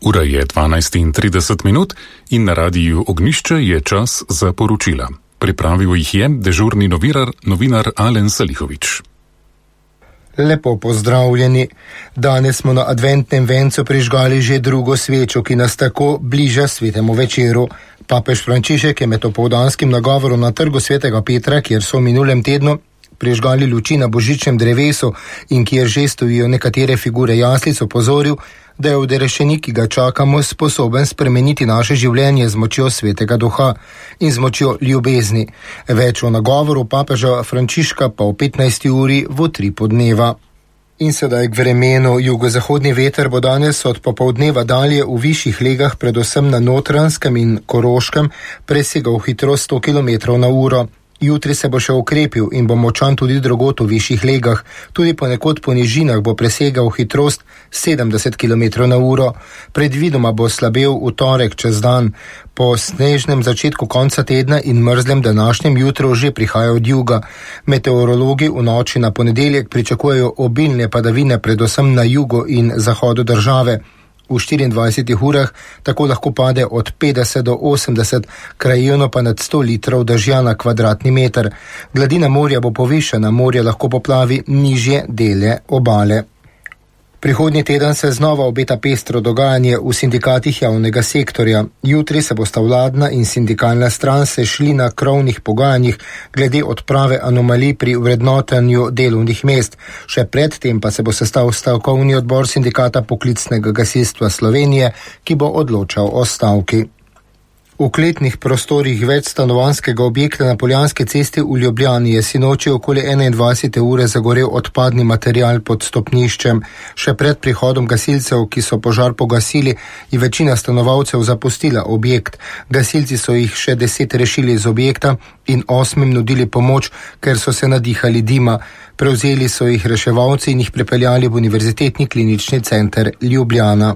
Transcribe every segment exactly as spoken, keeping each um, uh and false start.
Ura je dvanajst in trideset minut in na radiju Ognjišče je čas za poročila. Pripravil jih je dežurni novinar, novinar Alen Salihovič. Lepo pozdravljeni. Danes smo na adventnem vencu prižgali že drugo svečo, ki nas tako bliža svetemu večeru. Papež Frančišek je med opoldanskim nagovorom na trgu svetega Petra, kjer so v minulem tednu prižgali luči na božičnem drevesu in kjer že stojijo nekatere figure jaslic, opozoril, da je odrešenik, ki ga čakamo, sposoben spremeniti naše življenje z močjo svetega duha in z močjo ljubezni. Več o nagovoru papeža Frančiška pa v petnajsti uri v tri podneva. In sedaj k vremenu. Jugozahodni veter bo danes od popoldneva dalje v višjih legah, predvsem na Notranjskem in Koroškem, presegal hitrost sto kilometrov na uro. Jutri se bo še okrepil in bo močan tudi drugod v višjih legah. Tudi ponekod po nižinah bo presegal hitrost sedemdeset kilometrov na uro. Predvidoma bo slabel v torek čez dan. Po snežnem začetku konca tedna in mrzlem današnjem jutru že prihaja od juga. Meteorologi v noči na ponedeljek pričakujejo obilne padavine, predvsem na jugu in zahodu države. V štiriindvajsetih urah tako lahko pade od petdeset do osemdeset, krajevno pa nad sto litrov dežja na kvadratni meter. Gladina morja bo povišana, morje lahko poplavi nižje dele obale. Prihodnji teden se znova obeta pestro dogajanje v sindikatih javnega sektorja. Jutri se bosta vladna in sindikalna stran sešli na krovnih pogajanjih glede odprave anomalij pri vrednotenju delovnih mest. Še predtem pa se bo sestal stavkovni odbor sindikata poklicnega gasilstva Slovenije, ki bo odločal o stavki. V kletnih prostorih večstanovanjskega objekta na Poljanski cesti v Ljubljani je sinoči okoli enaindvajsete ure zagorel odpadni material pod stopniščem. Še pred prihodom gasilcev, ki so požar pogasili, je večina stanovalcev zapustila objekt. Gasilci so jih še deset rešili iz objekta in osmim nudili pomoč, ker so se nadihali dima. Prevzeli so jih reševalci in jih prepeljali v Univerzitetni klinični center Ljubljana.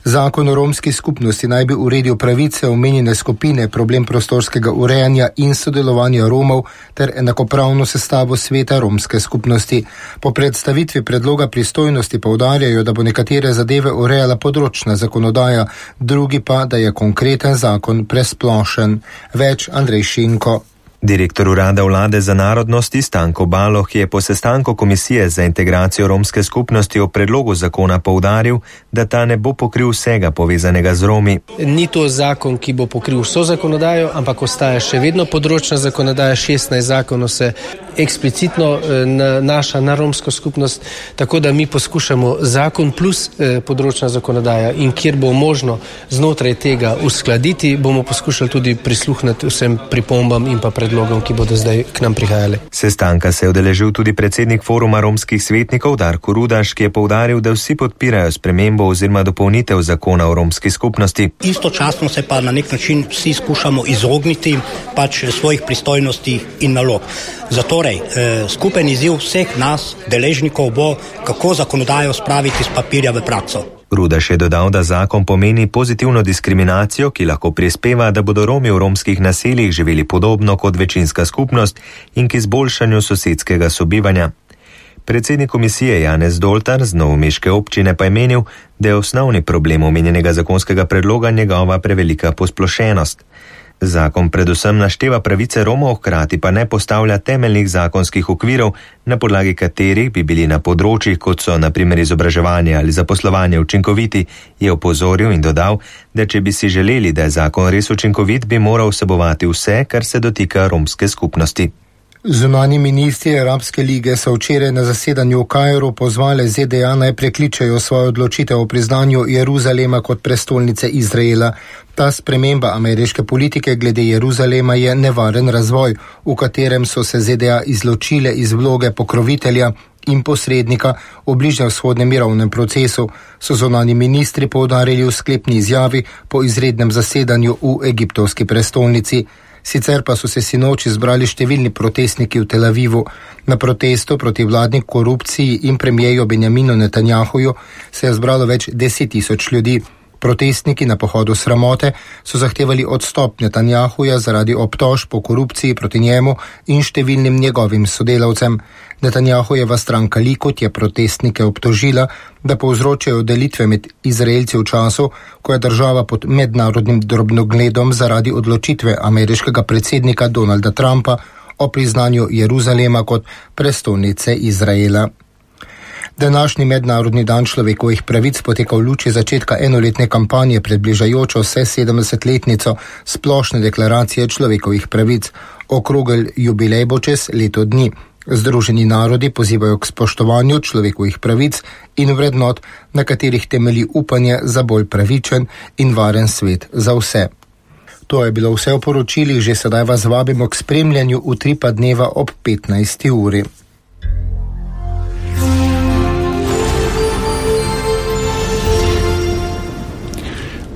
Zakon o romski skupnosti naj bi uredil pravice omenjene skupine, problem prostorskega urejanja in sodelovanja Romov ter enakopravno sestavo sveta romske skupnosti. Po predstavitvi predloga pristojnosti poudarjajo, da bo nekatere zadeve urejala področna zakonodaja, drugi pa, da je konkreten zakon presplošen. Več Andrej Šinko. Direktor urada vlade za narodnosti Stanko Baloh je po sestanku Komisije za integracijo romske skupnosti o predlogu zakona poudaril, da ta ne bo pokril vsega povezanega z Romi. Ni to zakon, ki bo pokril vso zakonodajo, ampak ostaja še vedno področna zakonodaja, šestnajst zakonov se eksplicitno nanaša na romsko skupnost, tako da mi poskušamo zakon plus področna zakonodaja in kjer bo možno znotraj tega uskladiti, bomo poskušali tudi prisluhniti vsem pripombam in pa predlogom, ki bodo zdaj k nam prihajali. Sestanka se je udeležil tudi predsednik foruma romskih svetnikov Darko Rudaš, ki je poudaril, da vsi podpirajo spremembo oziroma dopolnitev zakona o romski skupnosti. Istočasno se pa na nek način vsi skušamo izogniti pač svojih pristojnosti in nalog. Zatorej, eh, skupen izziv vseh nas, deležnikov, bo, kako zakonodajo spraviti z papirja v prakso. Rudaš je dodal, da zakon pomeni pozitivno diskriminacijo, ki lahko prispeva, da bodo Romi v romskih naseljih živeli podobno kot večinska skupnost in k izboljšanju sosedskega sobivanja. Predsednik komisije Janez Doltar z novomeške občine pa je menil, da je osnovni problem omenjenega zakonskega predloga njegova prevelika posplošenost. Zakon predvsem našteva pravice Romov, hkrati pa ne postavlja temeljnih zakonskih okvirov, na podlagi katerih bi bili na področjih, kot so na primer izobraževanje ali zaposlovanje učinkoviti, je opozoril in dodal, da če bi si želeli, da je zakon res učinkovit, bi moral vsebovati vse, kar se dotika romske skupnosti. Zunanji ministri Arabske lige so včeraj na zasedanju v Kairu pozvali Z D A naj prekličejo svojo odločitev o priznanju Jeruzalema kot prestolnice Izraela. Ta sprememba ameriške politike glede Jeruzalema je nevaren razvoj, v katerem so se Z D A izločile iz vloge pokrovitelja in posrednika v bližnjevzhodnem mirovnem procesu, so zunanji ministri poudarili v sklepni izjavi po izrednem zasedanju v egiptovski prestolnici. Sicer pa so se sinoči zbrali številni protestniki v Tel Avivu. Na protestu proti vladni korupciji in premijeju Benjaminu Netanjahuju se je zbralo več deset tisoč ljudi. Protestniki na pohodu sramote so zahtevali odstop Netanjahuja zaradi obtožb o korupciji proti njemu in številnim njegovim sodelavcem. Netanjahujeva stranka Likud je protestnike obtožila, da povzročajo delitve med Izraelci v času, ko je država pod mednarodnim drobnogledom zaradi odločitve ameriškega predsednika Donalda Trumpa o priznanju Jeruzalema kot prestolnice Izraela. Današnji mednarodni dan človekovih pravic poteka v luči začetka enoletne kampanje pred bližajočo se sedemdesetletnico splošne deklaracije človekovih pravic. Okrogel jubilej bo čez leto dni. Združeni narodi pozivajo k spoštovanju človekovih pravic in vrednot, na katerih temelji upanje za bolj pravičen in varen svet za vse. To je bilo vse v poročilih, že sedaj vas vabimo k spremljanju utripa dneva ob petnajsti uri.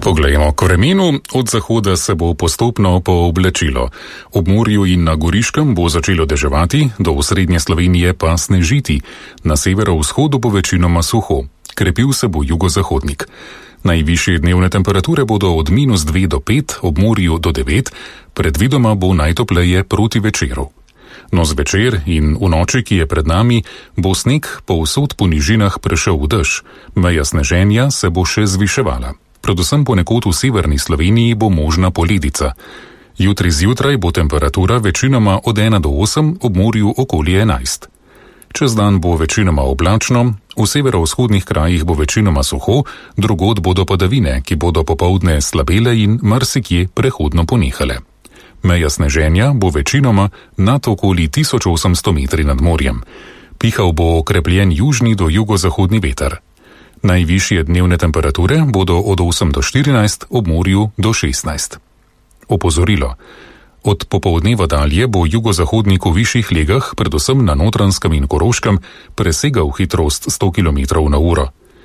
Poglejmo k vremenu. Od zahoda se bo postopno pooblačilo. Ob morju in na Goriškem bo začelo deževati, do osrednje Slovenije pa snežiti. Na severovzhodu bo večinoma suho. Krepil se bo jugozahodnik. Najvišje dnevne temperature bodo od minus dve do pet, ob morju do devet, predvidoma bo najtopleje proti večeru. No zvečer in v noči, ki je pred nami, bo sneg povsod po nižinah prešel v dež. Meja sneženja se bo še zviševala. Predvsem ponekod v severni Sloveniji bo možna poledica. Jutri zjutraj bo temperatura večinoma od ena do osem, ob morju okoli enajst. Čez dan bo večinoma oblačno, v severovzhodnih krajih bo večinoma suho, drugod bodo padavine, ki bodo popoldne slabele in marsikje prehodno ponehale. Meja sneženja bo večinoma nad okoli tisoč osemsto metri nad morjem. Pihal bo okrepljen južni do jugozahodni veter. Najvišje dnevne temperature bodo od osem do štirinajst, ob morju do šestnajst. Opozorilo. Od popoldneva dalje bo jugozahodnik v višjih legah, predvsem na Notranjskem in Koroškem, presegal hitrost sto kilometrov na uro.